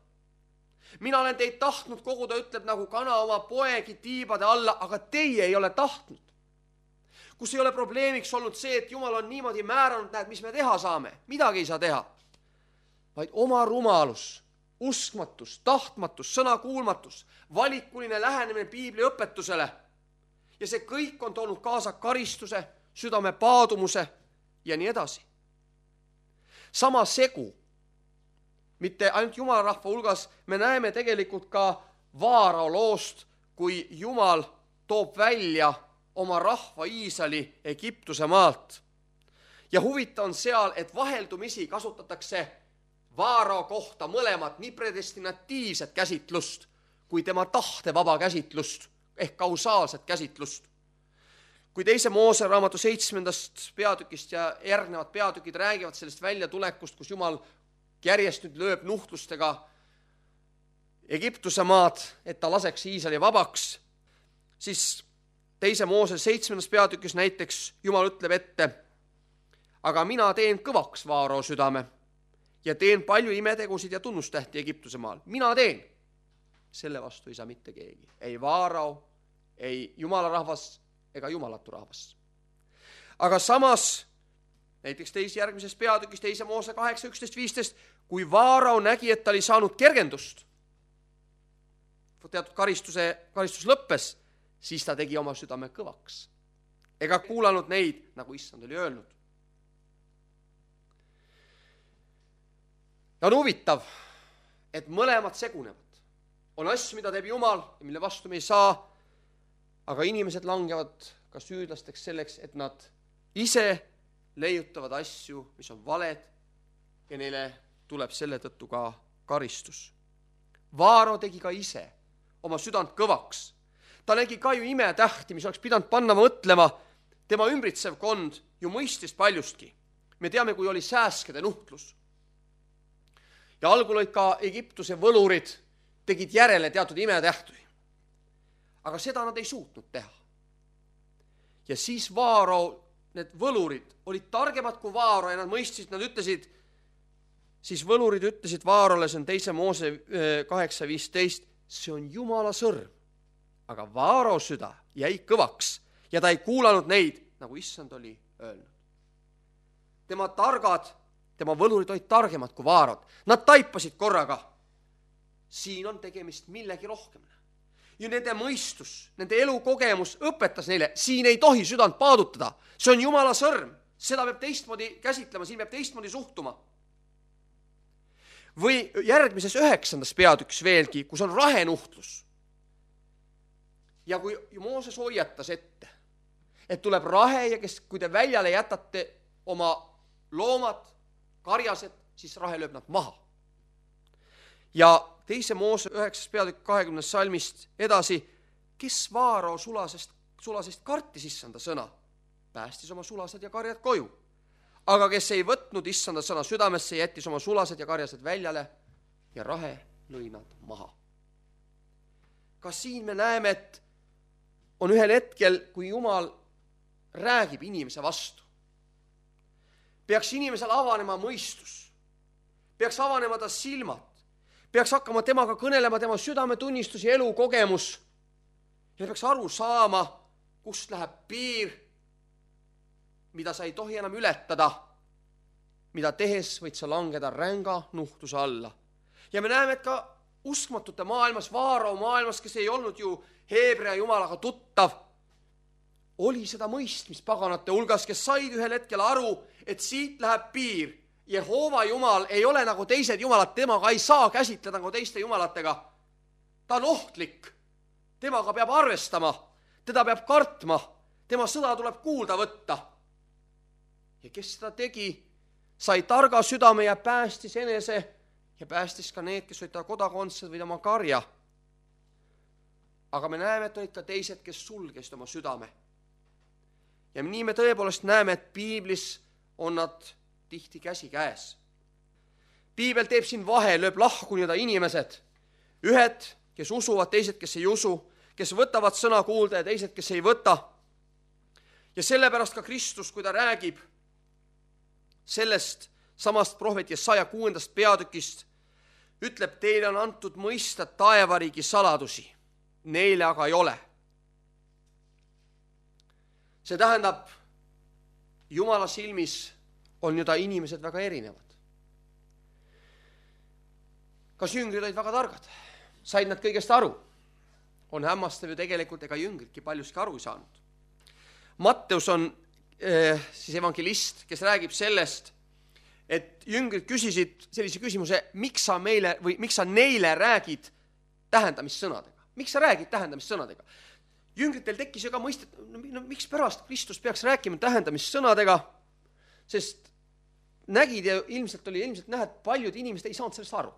Mina olen teid tahtnud koguda, ütleb nagu kana oma poegi tiibade alla, aga teie ei ole tahtnud. Kus ei ole probleemiks olnud see, et Jumal on niimoodi määranud, näed, mis me teha saame, midagi ei saa teha, vaid oma rumalus, uskmatus, tahtmatus, sõnakuulmatus, valikuline lähenemine Piibli õpetusele ja see kõik on toonud kaasa karistuse, südame paadumuse ja nii edasi. Sama segu, mitte ainult Jumala rahva hulgas, me näeme tegelikult ka Vaarao loost, kui Jumal toob välja oma rahva Iisraeli Egiptuse maalt. Ja huvitav on seal, et vaheldumisi kasutatakse Vaarao kohta mõlemat nii predestinatiivset käsitlust kui tema tahte vaba käsitlust ehk kausaalset käsitlust. Kui teise Moose raamatu seitsmendast peatükist ja järgnevad peatükid räägivad sellest väljatulekust, kus Jumal järjest nüüd lööb nuhtlustega Egiptuse maad, et ta laseks Iisraeli vabaks, siis teise Moose seitsmendas peatükis näiteks Jumal ütleb ette, aga mina teen kõvaks Vaarao südame ja teen palju imetegusid ja tunnustähti Egiptuse maal. Mina teen. Selle vastu ei saa mitte keegi. Ei Vaarao, ei Jumala rahvas ega jumalatu rahvas. Aga samas, näiteks teise järgmises peatükis, teise Moose kaheksa, üksteist, viisteist, kui Vaarao nägi, et ta oli saanud kergendust, teatud karistuse, karistus lõppes, siis ta tegi oma südame kõvaks. Ega kuulanud neid, nagu issand oli öelnud. Ja on huvitav, et mõlemad segunevad. On asju, mida teeb Jumal ja mille vastu me ei saa, aga inimesed langevad ka süüdlasteks selleks, et nad ise leiutavad asju, mis on valed ja neile tuleb selle tõttu ka karistus. Vaarao tegi ka ise oma südant kõvaks. Ta nägi ka ju imetähti, mis oleks pidanud panna mõtlema. Tema ümbritsev kond ju mõistis paljustki. Me teame, kui oli sääskede nuhtlus. Ja algul olid ka Egiptuse võlurid, tegid järele teatud imetähti. Aga seda nad ei suutnud teha. Ja siis Vaarao need võlurid olid targemad kui Vaaro ja nad mõistsid, nad ütlesid, siis võlurid ütlesid Vaarole, see on teise Moose kaheksa viisteist, see on Jumala sõrm. Aga Vaaro süda jäi kõvaks ja ta ei kuulanud neid, nagu issand oli öelnud. Tema targad, tema võlurid olid targemad kui Vaarod. Nad taipasid korraga. Siin on tegemist millegi rohkem. Ja nende mõistus, nende elukogemus õpetas neile, siin ei tohi südant paadutada. See on Jumala sõrm. Seda peab teistmoodi käsitlema, siin peab teistmoodi suhtuma. Või järgmises üheksandas peatüks veelgi, kus on rahenuhtlus. Ja kui Mooses hoiatas ette, et tuleb rahe ja kes, kui te väljale jätate oma loomad, karjased, siis rahe lööb nad maha. Ja teise Moose üheksas peatükk kahekümnes salmist edasi, kes Vaaro sulasest, sulasest kartis issanda sõna, päästis oma sulased ja karjad koju. Aga kes ei võtnud issanda sõna südamesse, jättis oma sulased ja karjased väljale ja rahe lõi nad maha. Ka siin me näeme, et on ühel hetkel, kui Jumal räägib inimese vastu. Peaks inimesel avanema mõistus, peaks avanema ta silmad, peaks hakkama temaga kõnelema tema südametunnistus ja elukogemus ja peaks aru saama, kust läheb piir, mida sa ei tohi enam ületada, mida tehes võid sa langeda ränga nuhtuse alla. Ja me näeme, et ka uskmatute maailmas, Vaaro maailmas, kes ei olnud ju Heebrea jumalaga tuttav, oli seda mõistmist paganate hulgas, kes said ühel hetkel aru, et siit läheb piir. Jehova jumal ei ole nagu teised jumalad, temaga ei saa käsitleda nagu teiste jumalatega. Ta on ohtlik, temaga peab arvestama, teda peab kartma, tema sõda tuleb kuulda võtta. Ja kes seda tegi, sai targa südame ja päästis enese ja päästis ka need, kes olid ta kodakondsed või tema karja. Aga me näeme, et olid ka teised, kes sulgesid oma südame. Ja nii me tõepoolest näeme, et piiblis on nad tihti käsi käes. Piibel teeb siin vahe, lööb lahku nii-öelda inimesed. Ühed, kes usuvad, teised, kes ei usu, kes võtavad sõna kuulda ja teised, kes ei võta. Ja sellepärast ka Kristus, kui ta räägib sellest samast prohvet Jesaja kuuendast peatükist, ütleb, teile on antud mõista taevariigi saladusi, neile aga ei ole. See tähendab, Jumala silmis on ju ta inimesed väga erinevad. Kas jüngrid olid väga targad? Said nad kõigest aru? On hämmastav ju tegelikult, ega jüngridki paljuski aru ei saanud. Matteus on eh, siis evangelist, kes räägib sellest, et jüngrid küsisid sellise küsimuse, miks sa meile või miks sa neile räägid tähendamissõnadega? Miks sa räägid tähendamissõnadega? Jüngritel tekkis ju ka mõistet, no miks pärast Kristus peaks rääkima tähendamissõnadega, sest nägid ja ilmselt oli ilmselt näha, et paljud inimesed ei saanud sellest aru.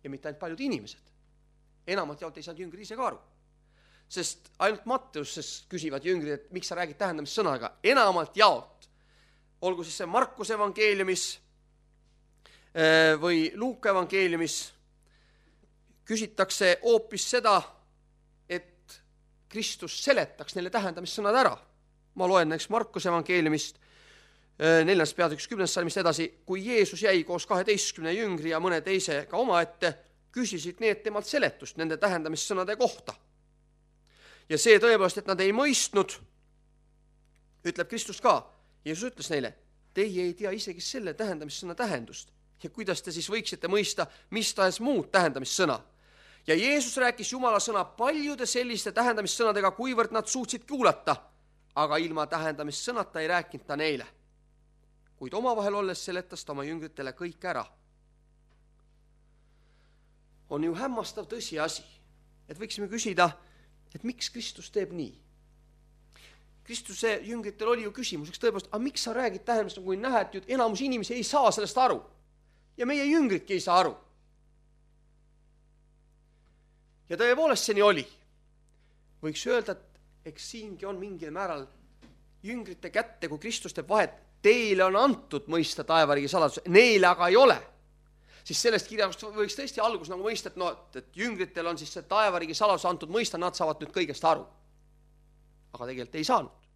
Ja mitte ainult paljud inimesed. Enamalt jaolt ei saanud jüngrid ise ka aru. Sest ainult Matteuses küsivad jüngrid, et miks sa räägid tähendamissõnaga. Enamalt jaolt, olgu siis see Markuse evangeeliumis või Luuka evangeeliumis, küsitakse hoopis seda, et Kristus seletaks neile tähendamissõnad ära. Ma loen näiteks Markuse evangeeliumist neljas peatükis kümnes salmist edasi, kui Jeesus jäi koos kaheteistkümne jüngri ja mõne teise ka oma ette, küsisid need temalt seletust nende tähendamissõnade kohta. Ja see tõepoolest, et nad ei mõistnud, ütleb Kristus ka. Jeesus ütles neile, teie ei tea isegi selle tähendamissõna tähendust ja kuidas te siis võiksite mõista mis tahes muud tähendamissõna. Ja Jeesus rääkis Jumala sõna paljude selliste tähendamissõnadega, kuivõrd nad suutsid kuulata, aga ilma tähendamissõnata ei rääkinud ta neile. Kuid omavahel olles seletas ta oma jüngritele kõik ära. On ju hämmastav tõsiasi, et võiksime küsida, et miks Kristus teeb nii? Kristuse jüngritel oli ju küsimuseks tõepoolest, aga miks sa räägid tähendamist, kui näha, et enamus inimesi ei saa sellest aru ja meie jüngridki ei saa aru. Ja tõepoolest see nii oli. Võiks öelda, et eks siingi on mingil määral jüngrite kätte, kui Kristus teeb vahet, teile on antud mõista taevariigi saladus, neile aga ei ole. Siis sellest kirjast võiks tõesti algus nagu mõista, et, no, et jüngritel on siis see taevariigi saladus antud mõista, nad saavad nüüd kõigest aru. Aga tegelikult ei saanud.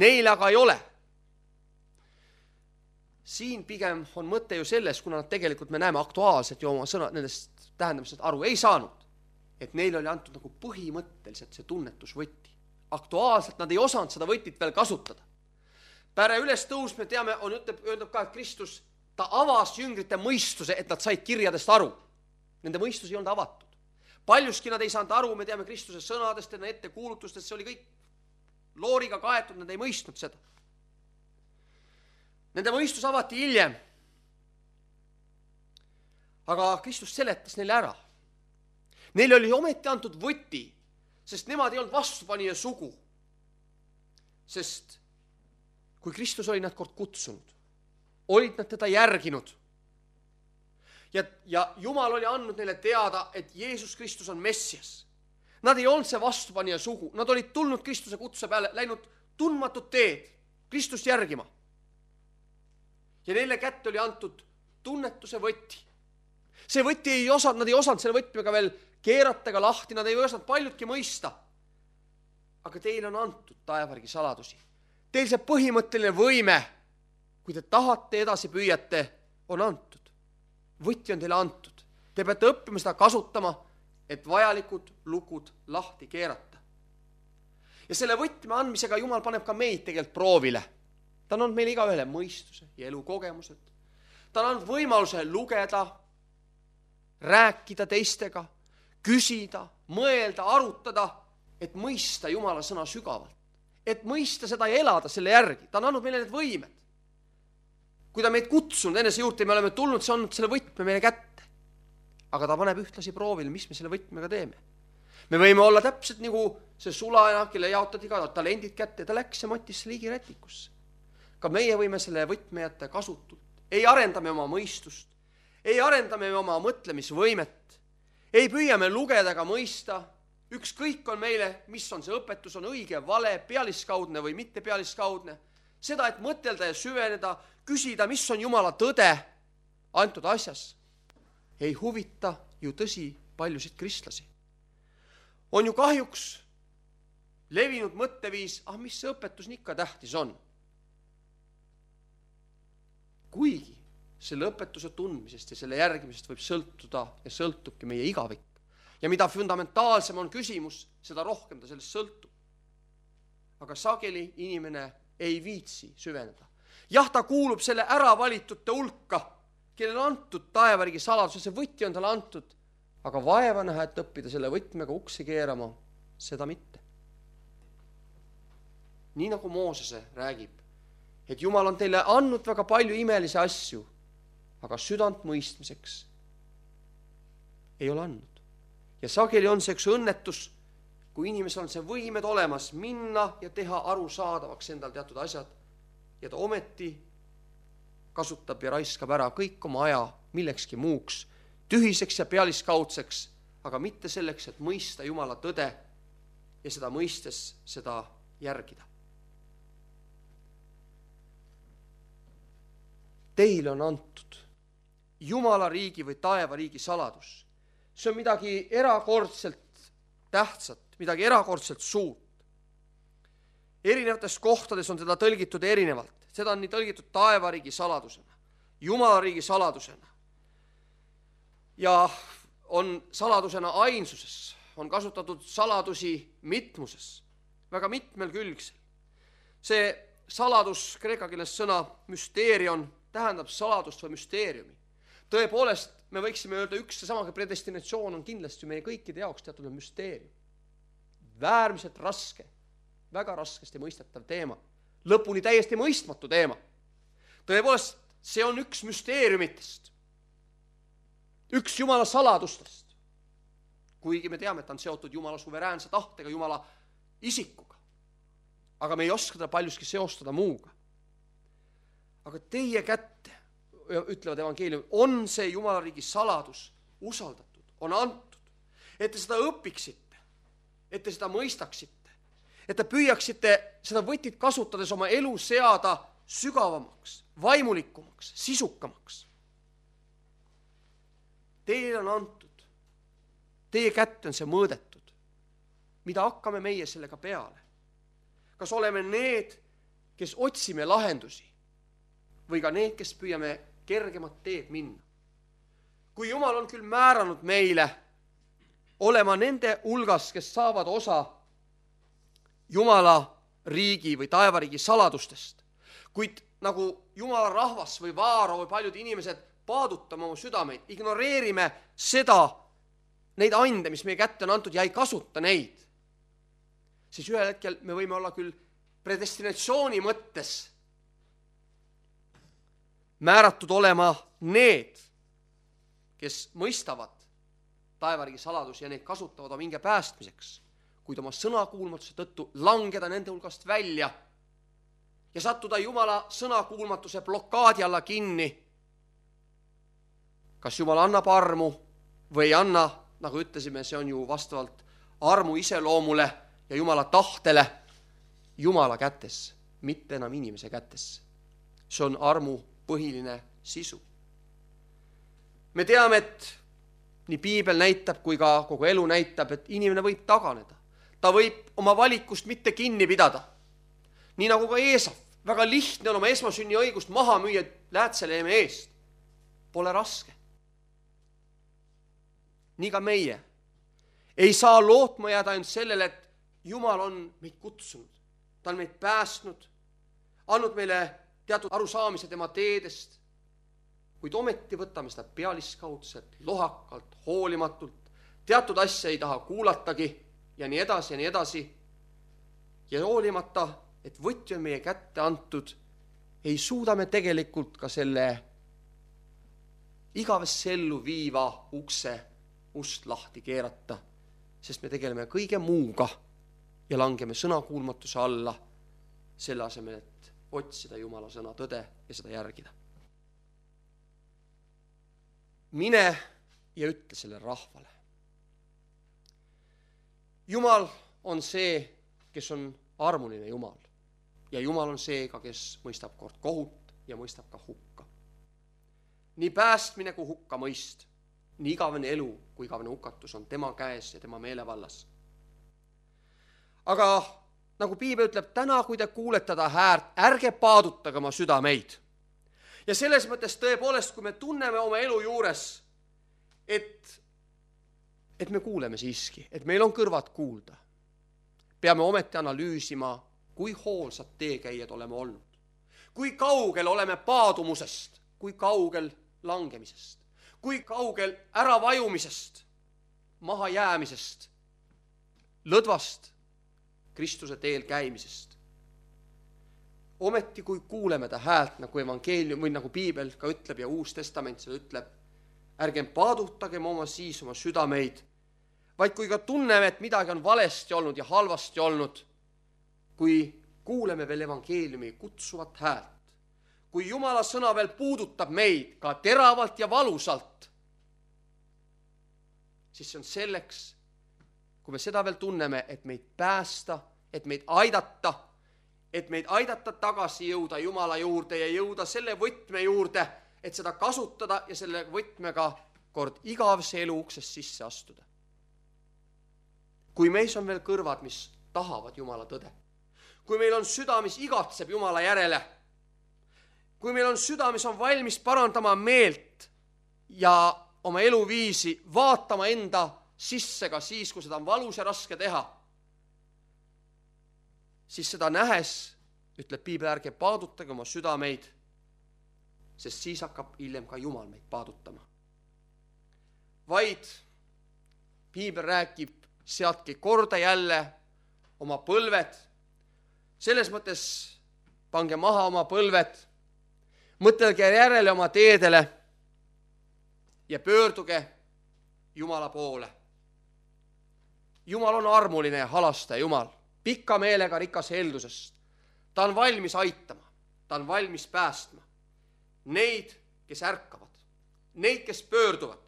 Neile aga ei ole. siin pigem on mõte ju selles, kuna nad tegelikult me näeme aktuaalselt ju oma sõna, nendest tähendamisest aru ei saanud, et neil oli antud nagu põhimõtteliselt see tunnetusvõtti. Aktuaalselt nad ei osanud seda võtit veel kasutada. Päre üles tõus, me teame, on ütleb, öeldab ka, et Kristus, ta avas jüngrite mõistuse, et nad said kirjadest aru. Nende mõistus ei olnud avatud. Paljuski nad ei saanud aru, me teame Kristuse sõnadest, enne ette kuulutustest, see oli kõik looriga kaetud, nad ei mõistnud seda. Nende mõistus avati hiljem. Aga Kristus seletas neile ära. Neile oli ometi antud võti, sest nemad ei olnud vastupanija sugu. Sest kui Kristus oli nad kord kutsunud, olid nad teda järginud. Ja, ja Jumal oli andnud neile teada, et Jeesus Kristus on Messias. Nad ei olnud see vastupanija sugu. Nad olid tulnud Kristuse kutse peale, läinud tundmatut teed, Kristust järgima. Ja neile kätte oli antud tunnetuse võti. See võti ei osanud, nad ei osanud selle võtmega veel keerata ega lahti, nad ei osanud paljudki mõista. Aga teil on antud taevargi saladusi. Teil see põhimõtteline võime, kui te tahate edasi püüate, on antud. Võti on teile antud. Te peate õppima seda kasutama, et vajalikud lukud lahti keerata. Ja selle võtme andmisega Jumal paneb ka meid tegelikult proovile. Ta on meil iga ühele mõistuse ja elukogemused. Ta on võimaluse lugeda, rääkida teistega, küsida, mõelda, arutada, et mõista Jumala sõna sügavalt. Et mõista seda ja elada selle järgi. Ta on andnud meile need võimed. Kui ta meid kutsunud enese juurde, me oleme tulnud, see on selle võtme meile kätte. Aga ta paneb ühtlasi proovile, mis me selle võtmega teeme. Me võime olla täpselt nagu see sulaena, kelle jaotati ka talendid kätte, ta läks ja matis liigi rätikusse. Ka meie võime selle võtme jätta kasutult. Ei arendame oma mõistust, ei arendame oma mõtlemisvõimet, ei püüame lugeda ega mõista. Ükskõik on meile, mis on see õpetus, on õige, vale, pealiskaudne või mitte pealiskaudne. Seda, et mõtelda ja süveneda, küsida, mis on Jumala tõde antud asjas, ei huvita ju tõsi paljusid kristlasi. On ju kahjuks levinud mõtteviis, ah mis see õpetus nii ikka tähtis on. Kuigi selle õpetuse tundmisest ja selle järgimisest võib sõltuda ja sõltubki meie igavik. Ja mida fundamentaalsem on küsimus, seda rohkem ta sellest sõltub. Aga sageli inimene ei viitsi süveneda. Jah, ta kuulub selle ära valitute hulka, kellel on antud taevarigi saladus, see võti on talle antud, aga vaeva näha, et õppida selle võtmega uksi keerama, seda mitte. Nii nagu Moosese räägib, et Jumal on teile andnud väga palju imelisi asju, aga südant mõistmiseks ei ole andnud. Ja sageli on see üks õnnetus, kui inimesel on see võimed olemas minna ja teha arusaadavaks endal teatud asjad ja ta ometi kasutab ja raiskab ära kõik oma aja millekski muuks, tühiseks ja pealiskaudseks, aga mitte selleks, et mõista Jumala tõde ja seda mõistes seda järgida. Teile on antud Jumala riigi või taeva riigi saladus. See on midagi erakordselt tähtsat, midagi erakordselt suurt. Erinevates kohtades on teda tõlgitud erinevalt. Seda on nii tõlgitud taevariigi saladusena, Jumala riigi saladusena. Ja on saladusena ainsuses, on kasutatud saladusi mitmuses, väga mitmel külgsel. See saladus, kreeka keeles sõna müsteerion, tähendab saladust või müsteeriumi. Tõepoolest, me võiksime öelda, üks ja samaga predestinatsioon on kindlasti meie kõikide jaoks teatud müsteerium. Väärmiselt raske, väga raskesti mõistetav teema. Lõpuni täiesti mõistmatu teema. Tõepoolest, see on üks müsteeriumitest. Üks Jumala saladustest. Kuigi me teame, et ta on seotud Jumala suveräänse tahtega, Jumala isikuga. Aga me ei oska teda paljuski seostada muuga. Aga teie kätte, ütlevad evangeelium, on see Jumala riigi saladus usaldatud, on antud, et te seda õpiksite, et te seda mõistaksite, et te püüaksite seda võtit kasutades oma elu seada sügavamaks, vaimulikumaks, sisukamaks. Teile on antud, teie kätte on see mõõdetud, mida hakkame meie sellega peale. Kas oleme need, kes otsime lahendusi või ka need, kes püüame kergemat teed minna. Kui Jumal on küll määranud meile olema nende hulgas, kes saavad osa Jumala riigi või taevariigi saladustest, kuid nagu Jumala rahvas või Vaaro või paljud inimesed paadutame oma südameid, ignoreerime seda, neid ande, mis meie kätte on antud ja ei kasuta neid, siis ühel hetkel me võime olla küll predestinatsiooni mõttes määratud olema need, kes mõistavad taevariigi saladusi ja neid kasutavad oma hinge päästmiseks, kuid oma sõnakuulmatuse tõttu langeda nende hulgast välja ja sattuda Jumala sõnakuulmatuse blokaadi alla kinni. Kas Jumal annab armu või ei anna, nagu ütlesime, see on ju vastavalt armu iseloomule ja Jumala tahtele Jumala kätes, mitte enam inimese kätes. See on armu põhiline sisu. Me teame, et nii piibel näitab kui ka kogu elu näitab, et inimene võib taganeda. Ta võib oma valikust mitte kinni pidada. Nii nagu ka Eesav, väga lihtne on oma esmasünni õigust maha müüa läätseleeme eest. Pole raske. Nii ka meie ei saa lootma jääda ainult sellele, et Jumal on meid kutsunud. Ta on meid päästnud, andnud meile teatud arusaamise tema teedest, kuid ometi võtame seda pealiskaudselt, lohakalt, hoolimatult, teatud asja ei taha kuulatagi ja nii edasi ja nii edasi. Ja hoolimata, et võti on meie kätte antud, ei suuda me tegelikult ka selle igavesse ellu viiva ukse ust lahti keerata, sest me tegeleme kõige muuga ja langeme sõnakuulmatuse alla selle asemel, et otsida Jumala sõna tõde ja seda järgida. Mine ja ütle selle rahvale. Jumal on see, kes on armuline Jumal. Ja Jumal on see ka, kes mõistab kord kohut ja mõistab ka hukka. Nii päästmine kui hukka mõist, nii igavene elu kui igavene hukatus on tema käes ja tema meelevallas. Aga nagu piibel ütleb, täna kui te kuulete ta häärt, ärge paadutage oma südameid. Ja selles mõttes tõepoolest, kui me tunneme oma elu juures, et, et me kuuleme siiski, et meil on kõrvad kuulda, peame ometi analüüsima, kui hoolsad teekäijad oleme olnud, kui kaugel oleme paadumusest, kui kaugel langemisest, kui kaugel äravajumisest, mahajäämisest, lõdvast Kristuse teel käimisest. Ometi kui kuuleme ta häält nagu evangeelium või nagu piibel ka ütleb ja Uus Testament seda ütleb, ärgem paadutagem oma siis oma südameid, vaid kui ka tunneme, et midagi on valesti olnud ja halvasti olnud, kui kuuleme veel evangeeliumi kutsuvat häält, kui Jumala sõna veel puudutab meid ka teravalt ja valusalt, siis see on selleks, kui me seda veel tunneme, et meid päästa, et meid aidata, et meid aidata tagasi jõuda Jumala juurde ja jõuda selle võtme juurde, et seda kasutada ja selle võtmega kord igavese elu uksest sisse astuda. Kui meis on veel kõrvad, mis tahavad Jumala tõde, kui meil on süda, mis igatseb Jumala järele, kui meil on süda, mis on valmis parandama meelt ja oma eluviisi, vaatama enda sisse ka siis, kui seda on valus ja raske teha, siis seda nähes, ütleb piibel, ärge paadutage oma südameid, sest siis hakkab hiljem ka Jumal meid paadutama. Vaid piibel räägib, seadke korda jälle oma põlved, selles mõttes pange maha oma põlved, mõtelge järele oma teedele ja pöörduge Jumala poole. Jumal on armuline ja halastaja Jumal, pikka meelega rikas heldusest. Ta on valmis aitama, ta on valmis päästma neid, kes ärkavad, neid, kes pöörduvad,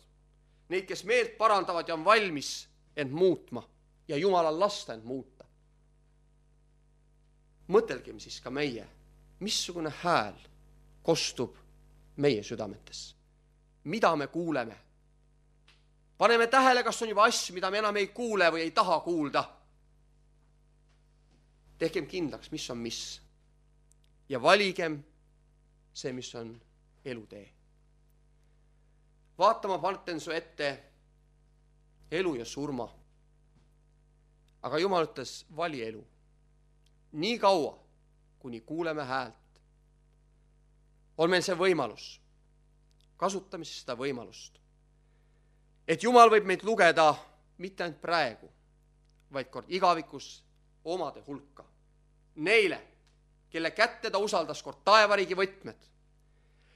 neid, kes meelt parandavad ja on valmis end muutma ja Jumalal lasta end muuta. Mõtelgem siis ka meie, missugune hääl kostub meie südametes. Mida me kuuleme? Paneme tähele, kas on juba asju, mida me enam ei kuule või ei taha kuulda. Tehkem kindlaks, mis on mis. Ja valigem see, mis on elutee. Vaatama panten su ette elu ja surma. Aga Jumal ütles, vali elu. Nii kaua, kuni kuuleme häält, on meil see võimalus. Kasutame siis seda võimalust. Et Jumal võib meid lugeda mitte ainult praegu, vaid kord igavikus omade hulka. Neile, kelle kätte ta usaldas kord taevariigi võtmed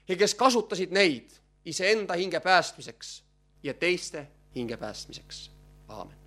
ja kes kasutasid neid iseenda hinge päästmiseks ja teiste hinge päästmiseks. Aamen.